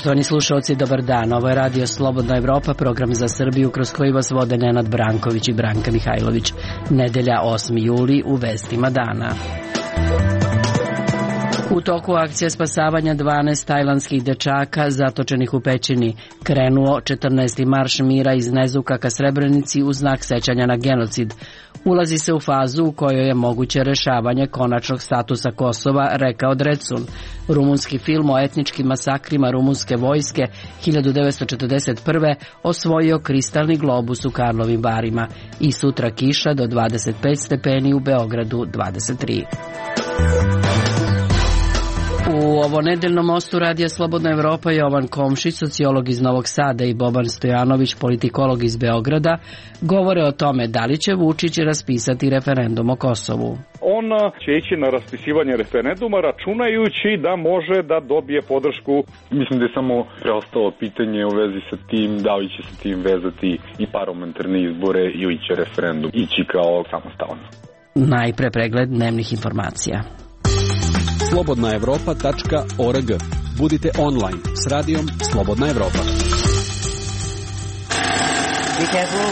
Poštovani slušalci, dobar dan. Ovo je Radio Slobodna Evropa, program za Srbiju kroz koji vas vode Nenad Branković i Branka Mihajlović. Nedelja 8. juli u vestima dana. U toku akcije spasavanja 12 tajlandskih dečaka zatočenih u pećini krenuo 14. marš mira iz Nezuka ka Srebrenici u znak sećanja na genocid. Ulazi se u fazu u kojoj je moguće rešavanje konačnog statusa Kosova, rekao Drecun. Rumunski film o etničkim masakrima rumunske vojske 1941. osvojio kristalni globus u Karlovim Varima i sutra kiša do 25 stepeni, u Beogradu 23. U ovo nedeljnom mostu Radija Slobodna Evropa Jovan Komšić, sociolog iz Novog Sada, i Boban Stojanović, politikolog iz Beograda, govore o tome da li će Vučić raspisati referendum o Kosovu. On će ići na raspisivanje referenduma računajući da može da dobije podršku. Mislim da je samo preostalo pitanje u vezi sa tim da li će se tim vezati i parlamentarne izbore ili će referendum ići kao samostalno. Najpre pregled dnevnih informacija. slobodnaevropa.org. Budite online s radijom Slobodna Evropa. Be careful,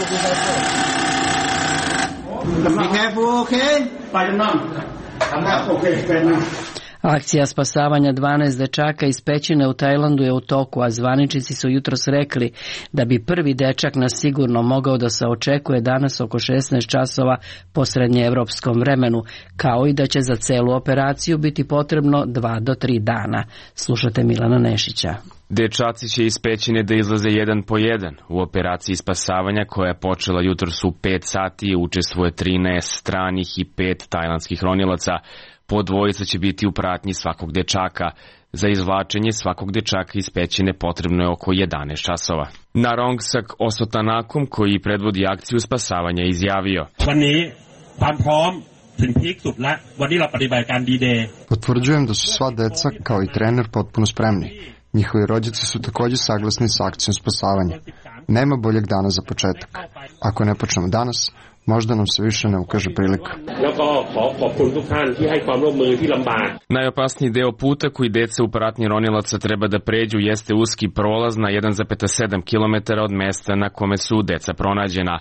okay? Akcija spasavanja 12 dečaka iz pećine u Tajlandu je u toku, a zvaničnici su jutros rekli da bi prvi dečak na sigurno mogao da se očekuje danas oko 16 časova po srednjeevropskom vremenu, kao i da će za celu operaciju biti potrebno 2 do 3 dana. Slušate Milana Nešića. Dečaci će iz pećine da izlaze jedan po jedan. U operaciji spasavanja, koja je počela jutros u 5 sati, učestvuje 13 stranih i 5 tajlandskih ronilaca. Po dvojica će biti u pratnji svakog dečaka. Za izvlačenje svakog dečaka iz pećine potrebno je oko 11 časova. Narongsak Osotanakom, koji predvodi akciju spasavanja, izjavio: Potvrđujem da su sva deca, kao i trener, potpuno spremni. Njihovi rođaci su također saglasni sa akcijom spasavanja. Nema boljeg dana za početak. Ako ne počnemo danas, možda nam se više ne ukaže prilika. Najopasniji deo puta koji deca u pratnji ronilaca treba da pređu jeste uski prolaz na 1,7 km od mesta na kome su deca pronađena.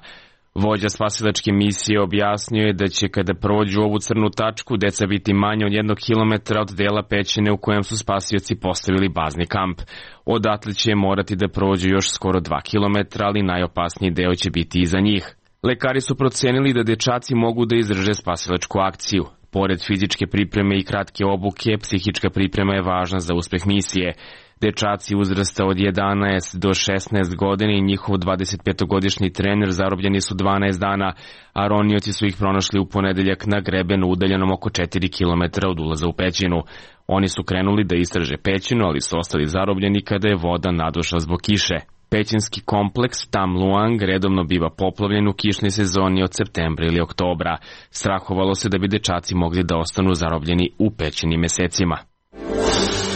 Vođa spasilačke misije objasnio je da će kada prođu ovu crnu tačku deca biti manje od 1 km od dela pećine u kojem su spasioci postavili bazni kamp. Odatle će morati da prođu još skoro 2 km, ali najopasniji deo će biti iza njih. Lekari su procenili da dečaci mogu da izdrže spasilačku akciju. Pored fizičke pripreme i kratke obuke, psihička priprema je važna za uspeh misije. Dečaci uzrasta od 11 do 16 godina i njihov 25-godišnji trener zarobljeni su 12 dana, a ronioci su ih pronašli u ponedeljak na grebenu udaljenom oko 4 km od ulaza u pećinu. Oni su krenuli da istraže pećinu, ali su ostali zarobljeni kada je voda nadošla zbog kiše. Pećinski kompleks Tam Luang redovno biva poplavljen u kišnoj sezoni od septembra ili oktobra. Strahovalo se da bi dečaci mogli da ostanu zarobljeni u pećinim mesecima.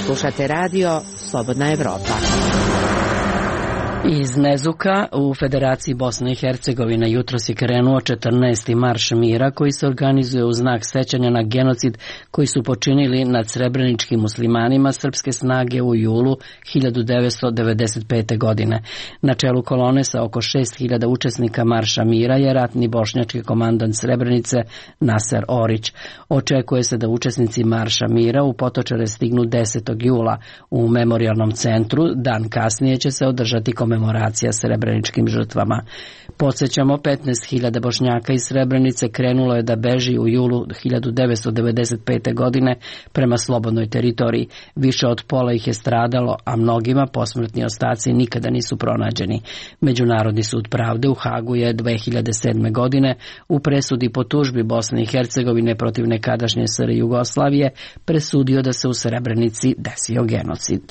Slušate radio Slobodna Evropa. Iz Nezuka u Federaciji Bosne i Hercegovine jutros je krenuo 14. marš mira koji se organizuje u znak sećanja na genocid koji su počinili nad srebreničkim muslimanima srpske snage u julu 1995. godine. Na čelu kolone sa oko 6.000 učesnika marša mira je ratni bošnjački komandant Srebrenice Naser Orić. Očekuje se da učesnici marša mira u Potočare stignu 10. jula. U memorijalnom centru dan kasnije će se održati komemoracija srebreničkim žrtvama. Podsjećamo, 15.000 Bošnjaka iz Srebrenice krenulo je da beži u julu 1995. godine prema slobodnoj teritoriji. Više od pola ih je stradalo, a mnogima posmrtni ostaci nikada nisu pronađeni. Međunarodni sud pravde u Hagu je 2007. godine u presudi po tužbi Bosne i Hercegovine protiv nekadašnje SR Jugoslavije presudio da se u Srebrenici desio genocid.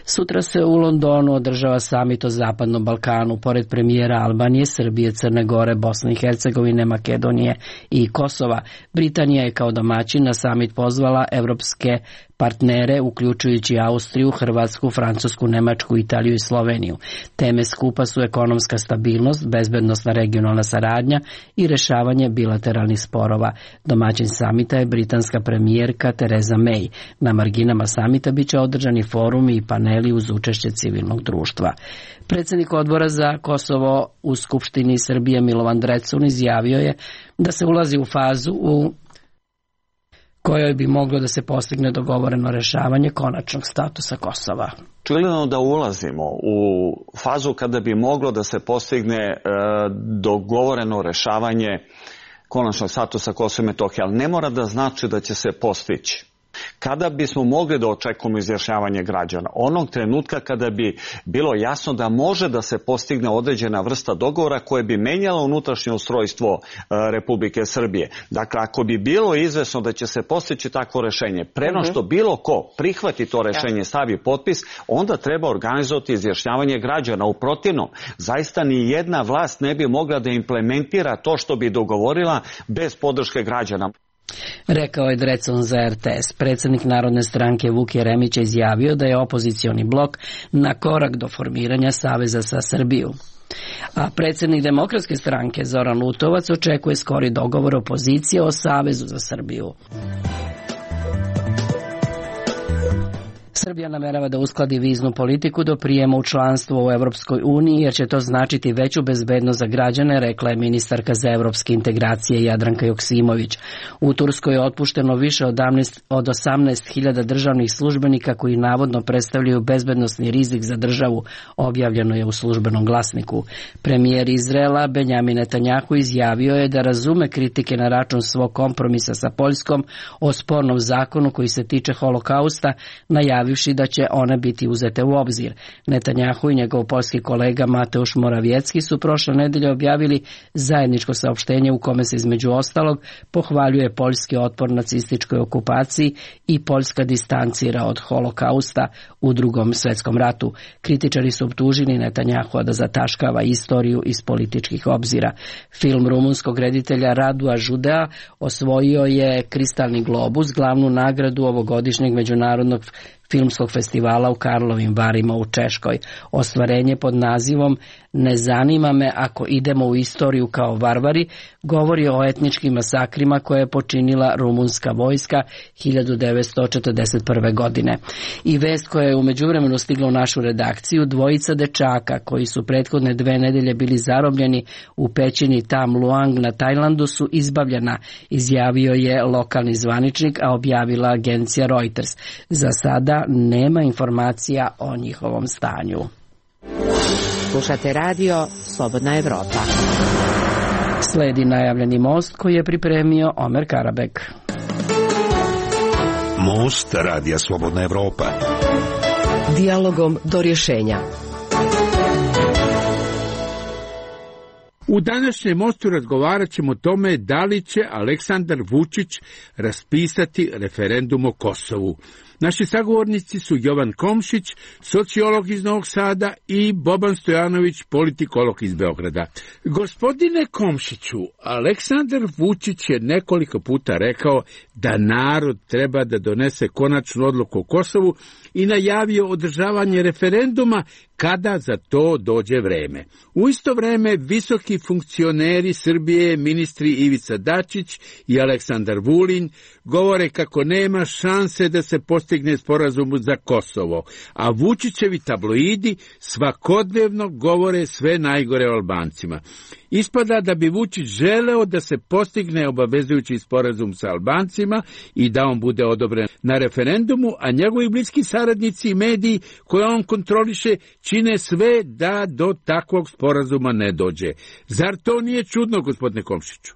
Sutra se u Londonu održava samit o Zapadnom Balkanu. Pored premijera Albanije, Srbije, Crne Gore, Bosne i Hercegovine, Makedonije i Kosova, Britanija je kao domaćin na samit pozvala evropske partnere, uključujući Austriju, Hrvatsku, Francusku, Nemačku, Italiju i Sloveniju. Teme skupa su ekonomska stabilnost, bezbednosna regionalna saradnja i rešavanje bilateralnih sporova. Domaćin samita je britanska premijerka Theresa May. Na marginama samita biće održani forumi i paneli uz učešće civilnog društva. Predsjednik odbora za Kosovo u Skupštini Srbije Milovan Drecun izjavio je da se ulazi u fazu u kojoj bi moglo da se postigne dogovoreno rešavanje konačnog statusa Kosova. Očigledno da ulazimo u fazu kada bi moglo da se postigne dogovoreno rešavanje konačnog statusa Kosova i Metohije, ali ne mora da znači da će se postići. Kada bismo mogli da očekujemo izjašnjavanje građana? Onog trenutka kada bi bilo jasno da može da se postigne određena vrsta dogovora koje bi menjala unutrašnje ustrojstvo Republike Srbije. Dakle, ako bi bilo izvesno da će se postići takvo rešenje, preno što bilo ko prihvati to rešenje, stavi potpis, onda treba organizovati izjašnjavanje građana. U protivnom, zaista ni jedna vlast ne bi mogla da implementira to što bi dogovorila bez podrške građana. Rekao je Drecun za RTS. Predsjednik Narodne stranke Vuk Jeremić je izjavio da je opozicioni blok na korak do formiranja saveza sa Srbiju. A predsjednik Demokratske stranke Zoran Lutovac očekuje skori dogovor opozicije o savezu za Srbiju. Srbija namerava da uskladi viznu politiku do prijema u članstvo u Evropskoj uniji, jer će to značiti veću bezbednost za građane, rekla je ministarka za evropske integracije Jadranka Joksimović. U Turskoj je otpušteno više od 18.000 državnih službenika koji navodno predstavljaju bezbednosni rizik za državu, objavljeno je u Službenom glasniku. Premijer Izraela Benjamin Netanjahu izjavio je da razume kritike na račun svog kompromisa sa Poljskom o spornom zakonu koji se tiče holokausta, najavivši da će one biti uzete u obzir. Netanjahu i njegov poljski kolega Mateusz Morawiecki su prošle nedelje objavili zajedničko saopštenje u kome se između ostalog pohvaljuje poljski otpor nacističkoj okupaciji i Poljska distancira od holokausta u Drugom svjetskom ratu. Kritičari su optužili Netanjahua da zataškava istoriju iz političkih obzira. Film rumunskog reditelja Radua Žudea osvojio je Kristalni globus, glavnu nagradu ovogodišnjeg međunarodnog filmskog festivala u Karlovim Varima u Češkoj. Ostvarenje pod nazivom Ne zanima me ako idemo u istoriju kao varvari govori o etničkim masakrima koje je počinila rumunska vojska 1941. godine. I vest koja je u međuvremenu stigla u našu redakciju, dvojica dečaka koji su prethodne 2 nedelje bili zarobljeni u pećini Tam Luang na Tajlandu su izbavljena, izjavio je lokalni zvaničnik, a objavila agencija Reuters. Za sada nema informacija o njihovom stanju. Slušate radio Slobodna Evropa. Sledi najavljeni most koji je pripremio Omer Karabek. Most radija Slobodna Evropa. Dijalogom do rješenja. U današnjem mostu razgovarat ćemo o tome da li će Aleksandar Vučić raspisati referendum o Kosovu. Naši sagovornici su Jovan Komšić, sociolog iz Novog Sada, i Boban Stojanović, politikolog iz Beograda. Gospodine Komšiću, Aleksandar Vučić je nekoliko puta rekao da narod treba da donese konačnu odluku o Kosovu i najavio održavanje referenduma kada za to dođe vreme. U isto vreme visoki funkcioneri Srbije, ministri Ivica Dačić i Aleksandar Vulin, govore kako nema šanse da se postigne sporazum za Kosovo, a Vučićevi tabloidi svakodnevno govore sve najgore o Albancima. Ispada da bi Vučić želeo da se postigne obavezujući sporazum sa Albancima i da on bude odobren na referendumu, a njegovi bliski saradnici i mediji koje on kontroliše čine sve da do takvog sporazuma ne dođe. Zar to nije čudno, gospodine Komšiću?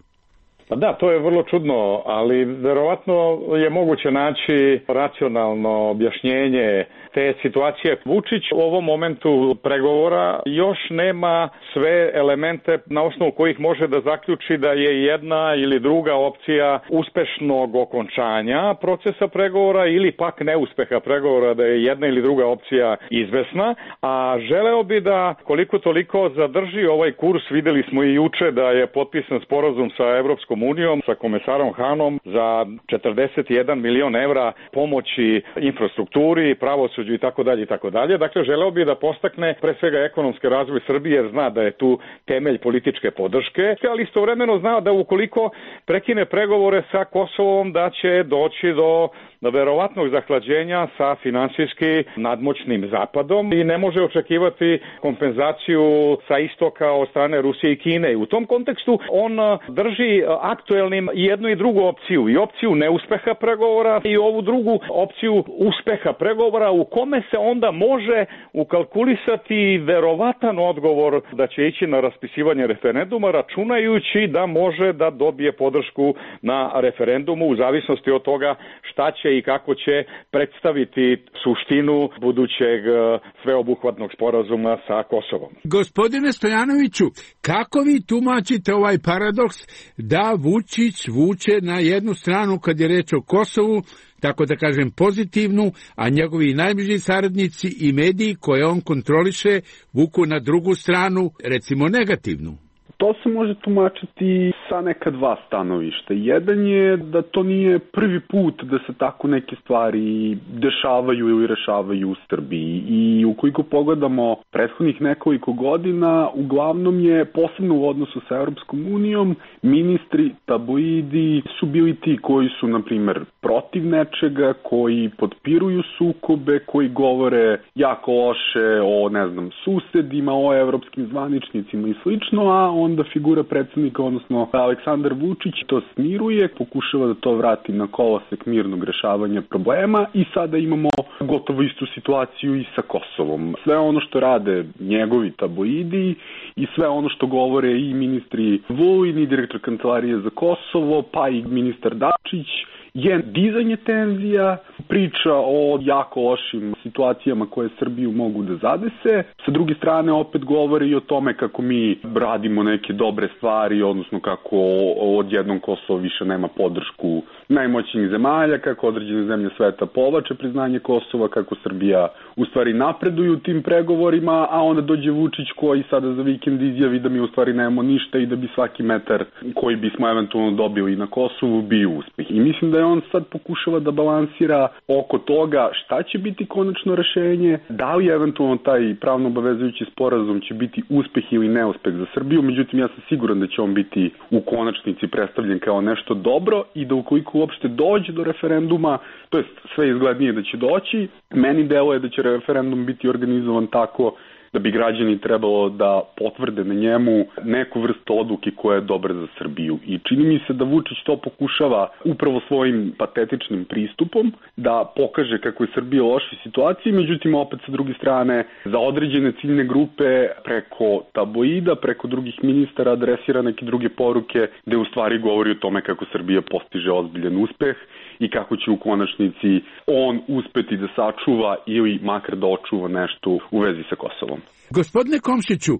Pa da, to je vrlo čudno, ali verovatno je moguće naći racionalno objašnjenje te situacije. Vučić u ovom momentu pregovora još nema sve elemente na osnovu kojih može da zaključi da je jedna ili druga opcija uspešnog okončanja procesa pregovora ili pak neuspeha pregovora, da je jedna ili druga opcija izvesna, a želeo bi da koliko toliko zadrži ovaj kurs. Videli smo i juče da je potpisan sporazum sa Evropskom Evropskom unijom, sa komesarom Hanom za 41 milion evra pomoći infrastrukturi, pravosuđu i tako dalje. Dakle, želeo bi da postakne pre svega ekonomski razvoj Srbije, jer zna da je tu temelj političke podrške, ali istovremeno zna da ukoliko prekine pregovore sa Kosovom, da će doći do verovatnog zahlađenja sa finansijski nadmoćnim Zapadom i ne može očekivati kompenzaciju sa istoka od strane Rusije i Kine. I u tom kontekstu on drži aktuelnim i jednu i drugu opciju. I opciju neuspeha pregovora i ovu drugu opciju uspeha pregovora, u kome se onda može ukalkulisati verovatan odgovor da će ići na raspisivanje referenduma, računajući da može da dobije podršku na referendumu u zavisnosti od toga šta će i kako će predstaviti suštinu budućeg sveobuhvatnog sporazuma sa Kosovom. Gospodine Stojanoviću, kako vi tumačite ovaj paradoks da Vučić vuče na jednu stranu kad je reč o Kosovu, tako da kažem pozitivnu, a njegovi najbliži saradnici i mediji koje on kontroliše vuku na drugu stranu, recimo negativnu? To se može tumačiti sa neka dva stanovišta. Jedan je da to nije prvi put da se tako neke stvari dešavaju ili rešavaju u Srbiji. I ukoliko pogledamo prethodnih nekoliko godina, uglavnom je, posebno u odnosu sa Europskom unijom, ministri, tabloidi su bili ti koji su, na primer, protiv nečega, koji potpiruju sukobe, koji govore jako loše o, susedima, o evropskim zvaničnicima i slično, a onda figura predsjednika, odnosno Aleksandar Vučić, to smiruje, pokušava da to vrati na kolosek mirnog rešavanja problema i sada imamo gotovo istu situaciju i sa Kosovom. Sve ono što rade njegovi tabloidi i sve ono što govore i ministri Vulin i direktor Kancelarije za Kosovo, pa i ministar Dačić, je dizanje tenzija, priča o jako lošim situacijama koje Srbiju mogu da zadese. Sa druge strane opet govori i o tome kako mi radimo neke dobre stvari, odnosno kako odjednom Kosovo više nema podršku najmoćnijih zemalja, kako određene zemlje sveta povlače priznanje Kosova, kako Srbija u stvari napreduje u tim pregovorima, a onda dođe Vučić koji sada za vikend izjavi da mi u stvari nemamo ništa i da bi svaki metar koji bismo eventualno dobili na Kosovu bio uspeh. I mislim da je on sad pokušava da balansira oko toga šta će biti konačno rešenje, da li eventualno taj pravno obavezujući sporazum će biti uspeh ili neuspeh za Srbiju, međutim ja sam siguran da će on biti u konačnici predstavljen kao nešto dobro i da ukoliko uopšte dođe do referenduma, to jest sve izglednije da će doći, meni deluje da će referendum biti organizovan tako da bi građani trebalo da potvrde na njemu neku vrstu odluke koja je dobra za Srbiju. I čini mi se da Vučić to pokušava upravo svojim patetičnim pristupom da pokaže kako je Srbija u lošoj situaciji, međutim opet sa druge strane za određene ciljne grupe preko tabloida, preko drugih ministara adresira neke druge poruke gde u stvari govori o tome kako Srbija postiže ozbiljan uspeh i kako će u konačnici on uspeti da sačuva ili makar da očuva nešto u vezi sa Kosovom. Gospodine Komšiću,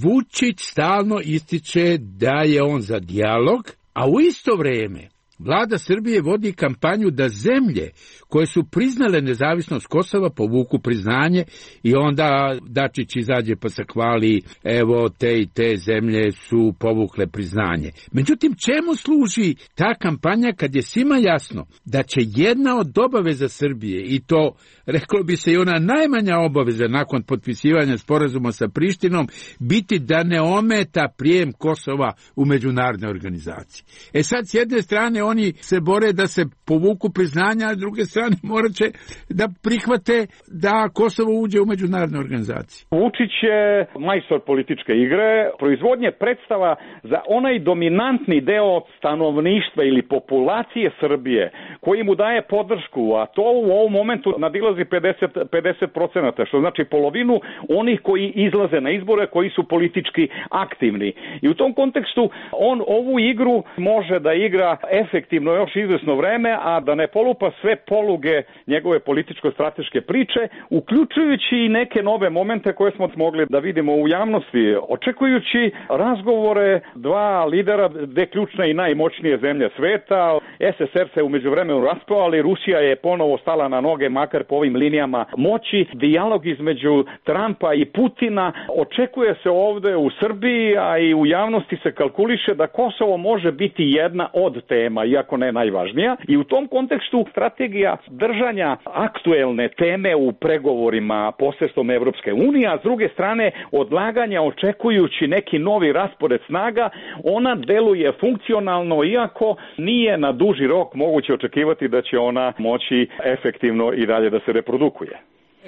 Vučić stalno ističe da je on za dijalog, a u isto vreme Vlada Srbije vodi kampanju da zemlje koje su priznale nezavisnost Kosova povuku priznanje i onda Dačić izađe pa se hvali, evo te i te zemlje su povukle priznanje. Međutim, čemu služi ta kampanja kad je svima jasno da će jedna od obaveza Srbije, i to reklo bi se i ona najmanja obaveza nakon potpisivanja sporazuma sa Prištinom, biti da ne ometa prijem Kosova u međunarodne organizacije. E sad, s jedne strane oni se bore da se povuku priznanja, a s druge strane morat će da prihvate da Kosovo uđe u međunarodne organizacije. Vučić je majstor političke igre, proizvodnje predstava za onaj dominantni deo stanovništva ili populacije Srbije koji mu daje podršku, a to u ovom momentu nadilazi 50%, što znači polovinu onih koji izlaze na izbore, koji su politički aktivni. I u tom kontekstu on ovu igru može da igra efektivno efektivno još izvesno vreme, a da ne polupa sve poluge njegove političko-strateške priče, uključujući i neke nove momente koje smo mogli da vidimo u javnosti, očekujući razgovore dva lidera, dve ključne i najmoćnije zemlje sveta. SSR se umeđu vremenu raspao, ali Rusija je ponovo stala na noge, makar po ovim linijama moći. Dijalog između Trumpa i Putina očekuje se ovde u Srbiji, a i u javnosti se kalkuliše da Kosovo može biti jedna od tema, iako ne najvažnija. I u tom kontekstu strategija držanja aktuelne teme u pregovorima posredstvom Evropske unije, a s druge strane odlaganja očekujući neki novi raspored snaga, ona deluje funkcionalno, iako nije na duži rok moguće očekivati da će ona moći efektivno i dalje da se reprodukuje.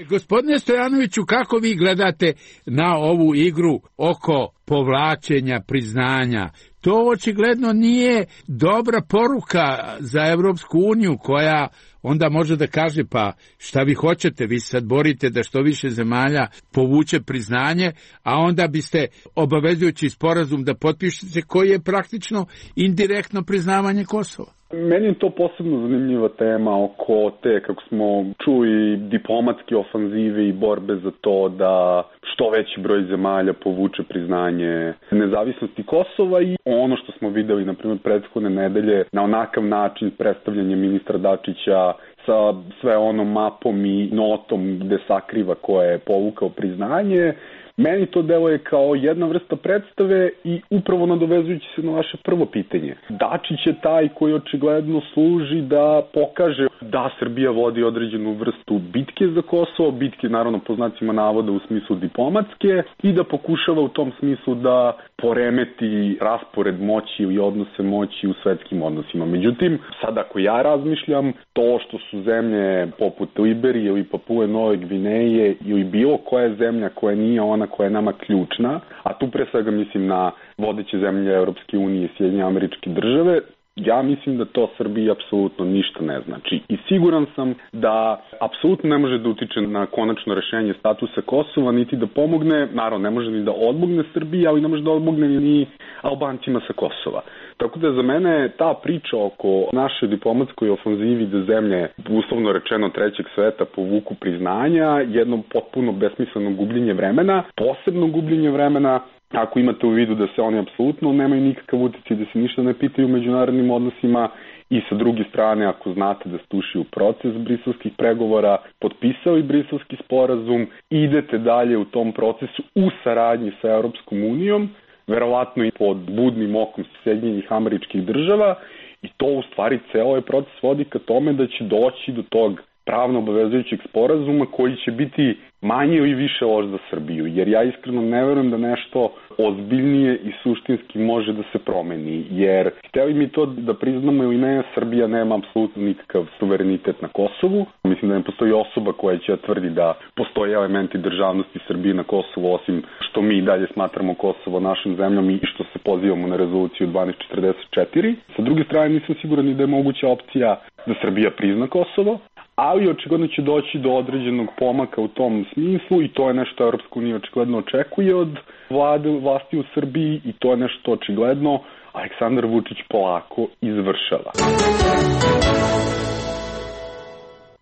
Gospodine Stojanoviću, kako vi gledate na ovu igru oko povlačenja priznanja? To očigledno nije dobra poruka za Evropsku uniju, koja onda može da kaže pa šta vi hoćete, vi sad borite da što više zemalja povuče priznanje, a onda biste obavezujući sporazum da potpišete koji je praktično indirektno priznavanje Kosova. Meni je to posebno zanimljiva tema oko te, kako smo čuli, diplomatske ofanzive i borbe za to da što veći broj zemalja povuče priznanje nezavisnosti Kosova i ono što smo videli, na primjer, prethodne nedelje na onakav način predstavljanje ministra Dačića sa sve onom mapom i notom gde sakriva ko je povukao priznanje. Meni to deluje kao jedna vrsta predstave i upravo nadovezujući se na vaše prvo pitanje. Dačić je taj koji očigledno služi da pokaže da Srbija vodi određenu vrstu bitke za Kosovo, bitke naravno po znacima navoda u smislu diplomatske, i da pokušava u tom smislu da poremeti raspored moći i odnose moći u svetskim odnosima. Međutim, sad ako ja razmišljam, to što su zemlje poput Liberije ili Papue Nove Gvineje ili bilo koja zemlja koja nije ona koja je nama ključna, a tu pre svega mislim na vodeće zemlje Evropske unije i Sjedinjene Američke Države, ja mislim da to Srbiji apsolutno ništa ne znači. I siguran sam da apsolutno ne može da utiče na konačno rešenje statusa Kosova, niti da pomogne, naravno ne može ni da odmogne Srbiji, ali ne može da odmogne ni Albancima sa Kosova. Tako da za mene ta priča oko naše diplomatskoj ofanzivi da zemlje, uslovno rečeno trećeg sveta, povuku priznanja, jedno potpuno besmisleno gubljenje vremena, posebno gubljenje vremena, ako imate u vidu da se oni apsolutno nemaju nikakav uticaj, da se ništa ne pitaju u međunarodnim odnosima, i sa druge strane, ako znate da ste ušli u proces briselskih pregovora, potpisali briselski sporazum, idete dalje u tom procesu u saradnji sa Europskom unijom, verovatno i pod budnim okom Sjedinjenih Američkih Država, i to u stvari ceo ovaj proces vodi ka tome da će doći do tog pravno obavezujućeg sporazuma koji će biti manje ili više loš za Srbiju, jer ja iskreno ne verujem da nešto ozbiljnije i suštinski može da se promeni, jer hteli mi to da priznamo ili ne, Srbija nema apsolutno nikakav suverenitet na Kosovu. Mislim da ne postoji osoba koja će tvrdi da postoje elementi državnosti Srbije na Kosovu, osim što mi dalje smatramo Kosovo našom zemljom i što se pozivamo na rezoluciju 1244. Sa druge strane, nisam siguran i da je moguća opcija da Srbija prizna Kosovo, ali očigledno će doći do određenog pomaka u tom smislu i to je nešto Europska unija očigledno očekuje od vlasti u Srbiji i to je nešto očigledno Aleksandar Vučić polako izvršava.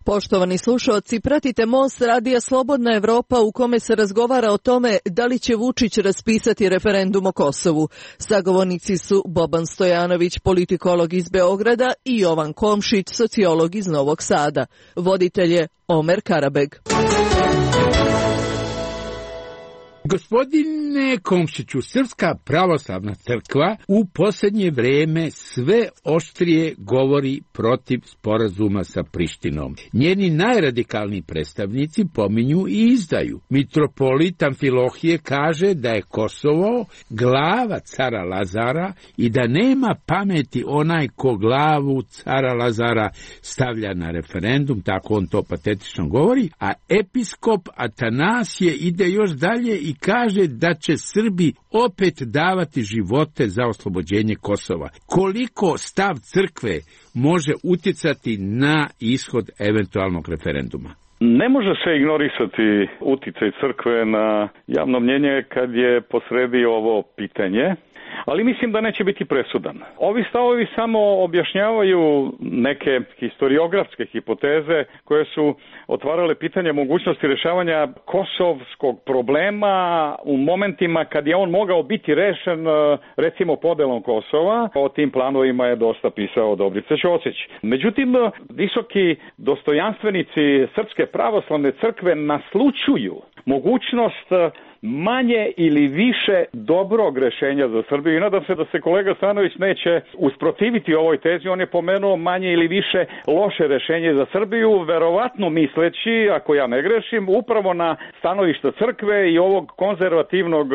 Poštovani slušaoci, pratite Most radija Slobodna Evropa u kome se razgovara o tome da li će Vučić raspisati referendum o Kosovu. Sagovornici su Boban Stojanović, politikolog iz Beograda, i Jovan Komšić, sociolog iz Novog Sada. Voditelj je Omer Karabeg. Gospodine Komšiću, Srpska pravoslavna crkva u posljednje vreme sve oštrije govori protiv sporazuma sa Prištinom. Njeni najradikalniji predstavnici pominju i izdaju. Mitropolit Amfilohije kaže da je Kosovo glava cara Lazara i da nema pameti onaj ko glavu cara Lazara stavlja na referendum, tako on to patetično govori, a episkop Atanasije ide još dalje i kaže da će Srbi opet davati živote za oslobođenje Kosova. Koliko stav crkve može uticati na ishod eventualnog referenduma? Ne može se ignorisati uticaj crkve na javno mnjenje kad je posredi ovo pitanje, ali mislim da neće biti presudan. Ovi stavovi samo objašnjavaju neke historiografske hipoteze koje su otvarale pitanje mogućnosti rešavanja kosovskog problema u momentima kad je on mogao biti rešen, recimo podelom Kosova. O tim planovima je dosta pisao Dobrica Ćosić. Međutim, visoki dostojanstvenici Srpske pravoslavne crkve naslućuju mogućnost manje ili više dobrog rešenja za Srbiju i nadam se da se kolega Stanović neće usprotiviti ovoj tezi. On je pomenuo manje ili više loše rešenje za Srbiju, verovatno misleći, ako ja ne grešim, upravo na stanovišta crkve i ovog konzervativnog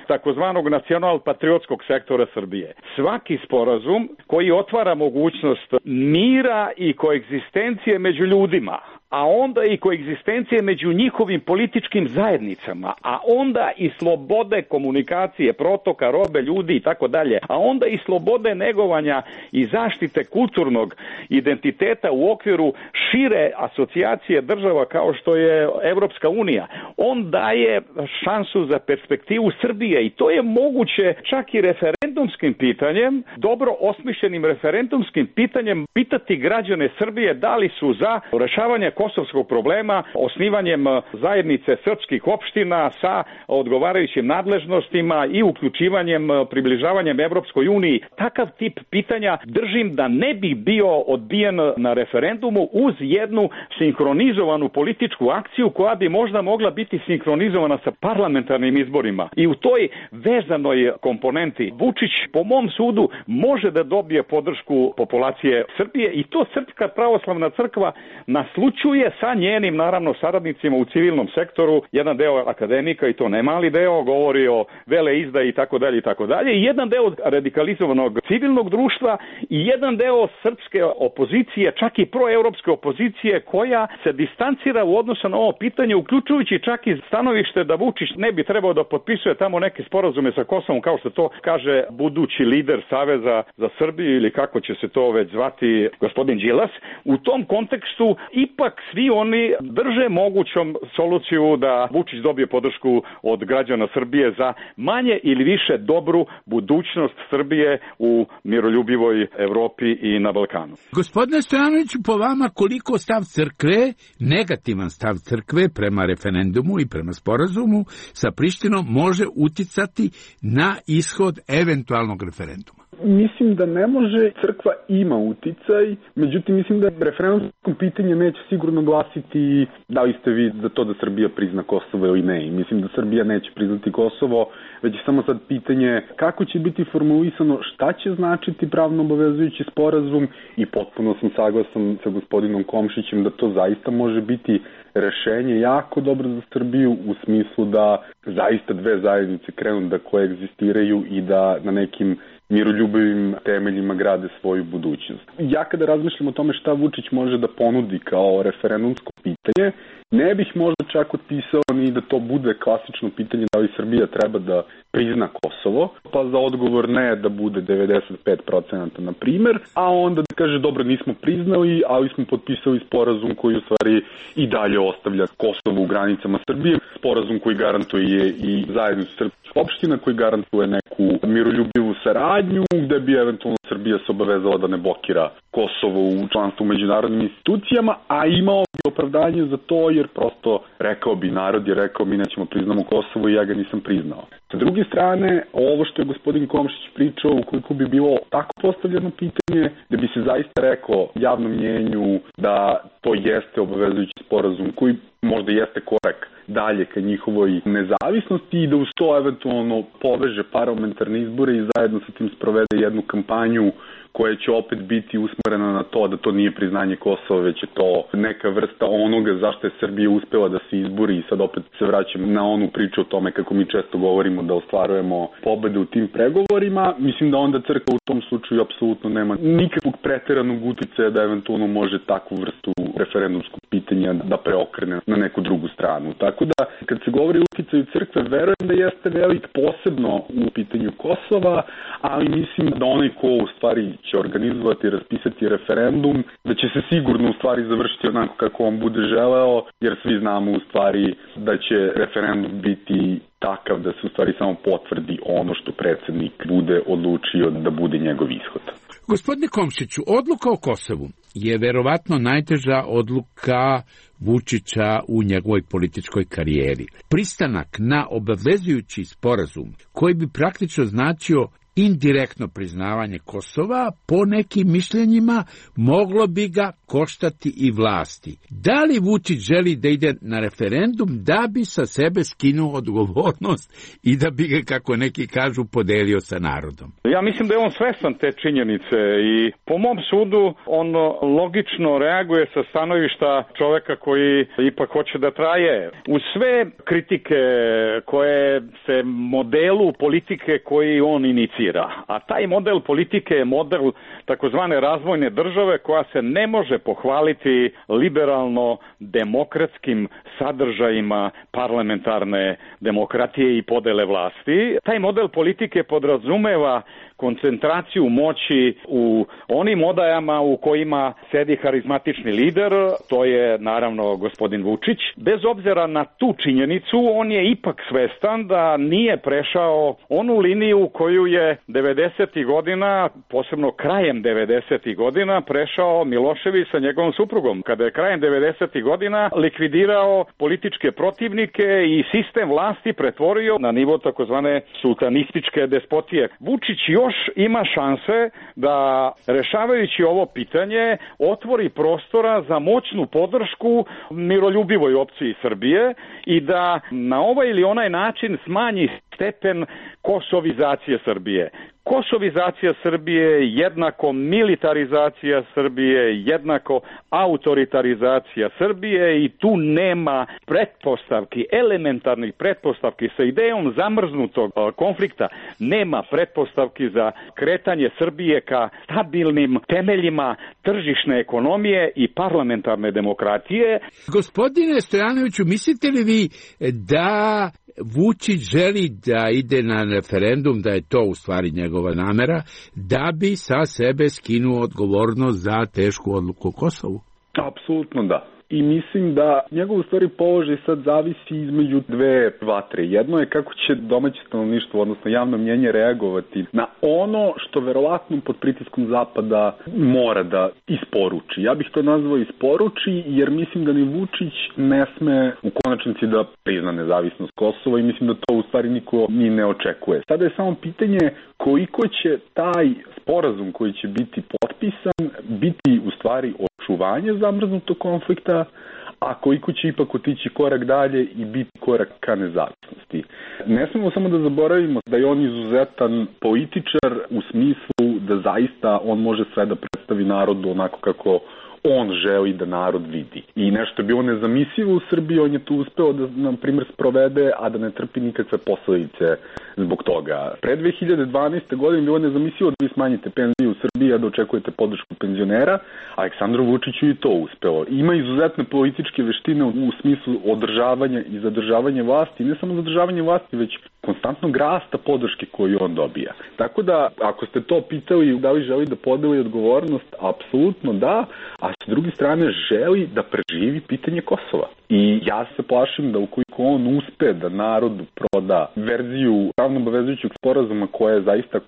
takozvanog nacional-patriotskog sektora Srbije. Svaki sporazum koji otvara mogućnost mira i koegzistencije među ljudima, a onda i koegzistencije među njihovim političkim zajednicama, a onda i slobode komunikacije, protoka, robe, ljudi i tako dalje, a onda i slobode negovanja i zaštite kulturnog identiteta u okviru šire asocijacije država kao što je Evropska unija. On daje šansu za perspektivu Srbije i to je moguće čak i referendumskim pitanjem, dobro osmišljenim referendumskim pitanjem, pitati građane Srbije da li su za rešavanje kosovskog problema osnivanjem zajednice srpskih opština sa odgovarajućim nadležnostima i uključivanjem, približavanjem Evropskoj uniji. Takav tip pitanja držim da ne bi bio odbijen na referendumu uz jednu sinhronizovanu političku akciju koja bi možda mogla biti sinhronizovana sa parlamentarnim izborima. I u toj vezanoj komponenti Vučić, po mom sudu, može da dobije podršku populacije Srbije i to Srpska pravoslavna crkva naslućuje sa njenim, naravno, saradnicima u civilnom sektoru. Jedan deo akademika, i to ne mali deo, govori o veleizdaji i tako dalje i tako dalje. I jedan deo radikalizovanog civilnog društva i jedan deo srpske opozicije, čak i proevropske opozicije, koja se distancira u odnosu na ovo pitanje, uključujući čak i stanovište da Vučić ne bi trebao da potpisuje tamo neke sporazume sa Kosovom, kao što to kaže budući lider Saveza za Srbiju ili kako će se to već zvati gospodin Đilas. U tom kontekstu ipak svi oni drže mogućom soluciju da Vučić dobije podršku od građana Srbije za manje ili više dobru budućnost Srbije u miroljubivoj Evropi i na Balkanu. Gospodine Stojanoviću, po vama koliko stav crkve, negativan stav crkve prema referendumu i prema sporazumu sa Prištinom može uticati na ishod eventualnog referenduma? Mislim da ne može, crkva ima uticaj, međutim mislim da referendumsko pitanje neće sigurno glasiti da li ste vi za to da Srbija prizna Kosovo ili ne. I mislim da Srbija neće priznati Kosovo, već je samo sad pitanje kako će biti formulisano, šta će značiti pravno obavezujući sporazum i potpuno sam saglasan sa gospodinom Komšićem da to zaista može biti rešenje jako dobro za Srbiju u smislu da zaista dve zajednice krenu da koegzistiraju i da na nekim miroljubivim temeljima grade svoju budućnost. Ja kada razmišljam o tome šta Vučić može da ponudi kao referendumsko pitanje, ne bih možda čak otpisao ni da to bude klasično pitanje da li Srbija treba da prizna Kosovo, pa za odgovor ne da bude 95% na primer, a onda da kaže dobro nismo priznali, ali smo potpisali sporazum koji u stvari i dalje ostavlja Kosovo u granicama Srbije, sporazum koji garantuje i zajednicu srpskih opština, koji garantuje neku miroljubivu saradnju, gde bi eventualno Srbija se obavezala da ne blokira Kosovo u članstvu u međunarodnim institucijama, a imao bi opravdanje za to jer prosto rekao bi, narod je rekao mi nećemo priznamo Kosovo i ja ga nisam priznao. Sa druge strane, ovo što je gospodin Komšić pričao, ukoliko bi bilo tako postavljeno pitanje, da bi se zaista rekao javnom mnjenju da to jeste obavezujući sporazum koji možda jeste korak dalje ka njihovoj nezavisnosti i da uz to eventualno poveže parlamentarne izbore i zajedno sa tim sprovede jednu kampanju koja će opet biti usmerena na to da to nije priznanje Kosova, već je to neka vrsta onoga zašto je Srbija uspela da se izbori i sad opet se vraćam na onu priču o tome kako mi često govorimo da ostvarujemo pobede u tim pregovorima. Mislim da onda crkva u tom slučaju apsolutno nema nikakvog preteranog uticaja da eventualno može takvu vrstu referendumskog pitanja da preokrene na neku drugu stranu. Tako da kad se govori o uticaju crkve, verujem da jeste velik posebno u pitanju Kosova, ali mislim da onaj ko u stvari će organizovati i raspisati referendum, da će se sigurno u stvari završiti onako kako on bude želeo, jer svi znamo u stvari da će referendum biti takav da se u stvari samo potvrdi ono što predsednik bude odlučio da bude njegov ishod. Gospodine Komšiću, odluka o Kosovu je verovatno najteža odluka Vučića u njegovoj političkoj karijeri. Pristanak na obavezujući sporazum koji bi praktično značio indirektno priznavanje Kosova, po nekim mišljenjima moglo bi ga koštati i vlasti. Da li Vučić želi da ide na referendum da bi sa sebe skinuo odgovornost i da bi ga, kako neki kažu, podelio sa narodom? Ja mislim da je on svestan te činjenice i po mom sudu on logično reaguje sa stanovišta čoveka koji ipak hoće da traje. Uz sve kritike koje se modelu politike koji on inicira, a taj model politike je model takozvane razvojne države koja se ne može pohvaliti liberalno-demokratskim sadržajima parlamentarne demokratije i podele vlasti. Taj model politike podrazumeva koncentraciju moći u onim odajama u kojima sedi harizmatični lider, to je naravno gospodin Vučić. Bez obzira na tu činjenicu, on je ipak svestan da nije prešao onu liniju koju je 90. godina, posebno krajem 90. godina, prešao Milošević sa njegovom suprugom, kada je krajem 90. godina likvidirao političke protivnike i sistem vlasti pretvorio na nivo takozvane sultanističke despotije. Vučić još ima šanse da, rešavajući ovo pitanje, otvori prostora za moćnu podršku miroljubivoj opciji Srbije i da na ovaj ili onaj način smanji stepen kosovizacije Srbije. Kosovizacija Srbije jednako militarizacija Srbije, jednako autoritarizacija Srbije i tu nema pretpostavki, elementarnih pretpostavki sa idejom zamrznutog konflikta, nema pretpostavki za kretanje Srbije ka stabilnim temeljima tržišne ekonomije i parlamentarne demokratije. Gospodine Stojanoviću, mislite li vi da Vučić želi da ide na referendum, da je to u stvari njegova namera, da bi sa sebe skinuo odgovornost za tešku odluku o Kosovu? Apsolutno da. I mislim da njegov u stvari položaj sad zavisi između dve vatre. Jedno je kako će domaće stanovništvo, odnosno javno mnjenje, reagovati na ono što verovatno pod pritiskom Zapada mora da isporuči. Ja bih to nazvao isporuči, jer mislim da ni Vučić ne sme u konačnici da prizna nezavisnost Kosova i mislim da to u stvari niko ni ne očekuje. Sada je samo pitanje koliko će taj sporazum koji će biti potpisan biti u stvari očuvanje zamrznutog konflikta, a koliko će ipak otići korak dalje i biti korak ka nezavisnosti. Ne smemo samo da zaboravimo da je on izuzetan političar u smislu da zaista on može sve da predstavi narodu onako kako on želi da narod vidi. I nešto je bilo nezamislivo u Srbiji, on je tu uspeo da, na primjer, sprovede, a da ne trpi nikakve posledice zbog toga. Pre 2012. godine bilo nezamislivo da vi smanjite penzije u Srbiji, a da očekujete podršku penzionera. Aleksandru Vučiću i to uspeo. Ima izuzetne političke veštine u smislu održavanja i zadržavanja vlasti, ne samo zadržavanje vlasti, već konstantnog rasta podrške koju on dobija. Tako da, ako ste to pitali da li želi da podeli odgovornost, apsolutno da, a s druge strane želi da preživi pitanje Kosova. I ja se plašim da ukoliko on uspe da narodu proda verziju pravno obavezujućeg sporazuma koja je zaista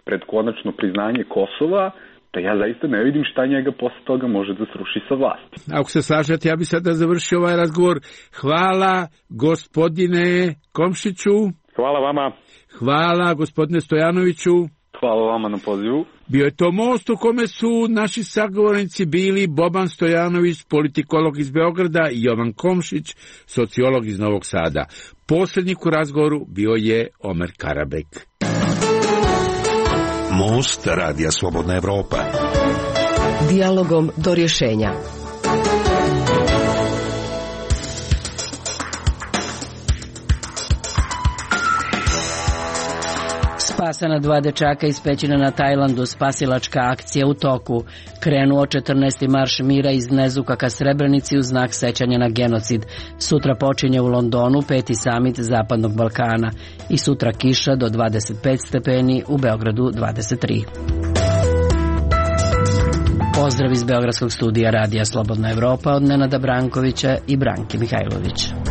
pred konačno priznanje Kosova, da ja zaista ne vidim šta njega posle toga može da sruši sa vlasti. Ako se slažete, ja bih sada završio ovaj razgovor. Hvala gospodine Komšiću. Hvala vama. Hvala gospodine Stojanoviću. Hvala vama na pozivu. Bio je to most u kome su naši sagovornici bili Boban Stojanović, politikolog iz Beograda, i Jovan Komšić, sociolog iz Novog Sada. Poslednjik u razgovoru bio je Omer Karabek. Most Radija Slobodna Evropa. Dijalogom do rješenja. Spasana 2 dečaka ispećena na Tajlandu, spasilačka akcija u toku. Krenuo 14. marš mira iz Nezuka ka Srebrenici u znak sećanja na genocid. Sutra počinje u Londonu 5. samit Zapadnog Balkana i sutra kiša do 25 stepeni, u Beogradu 23. Pozdrav iz Beogradskog studija Radija Slobodna Evropa od Nenada Brankovića i Branke Mihajlovića.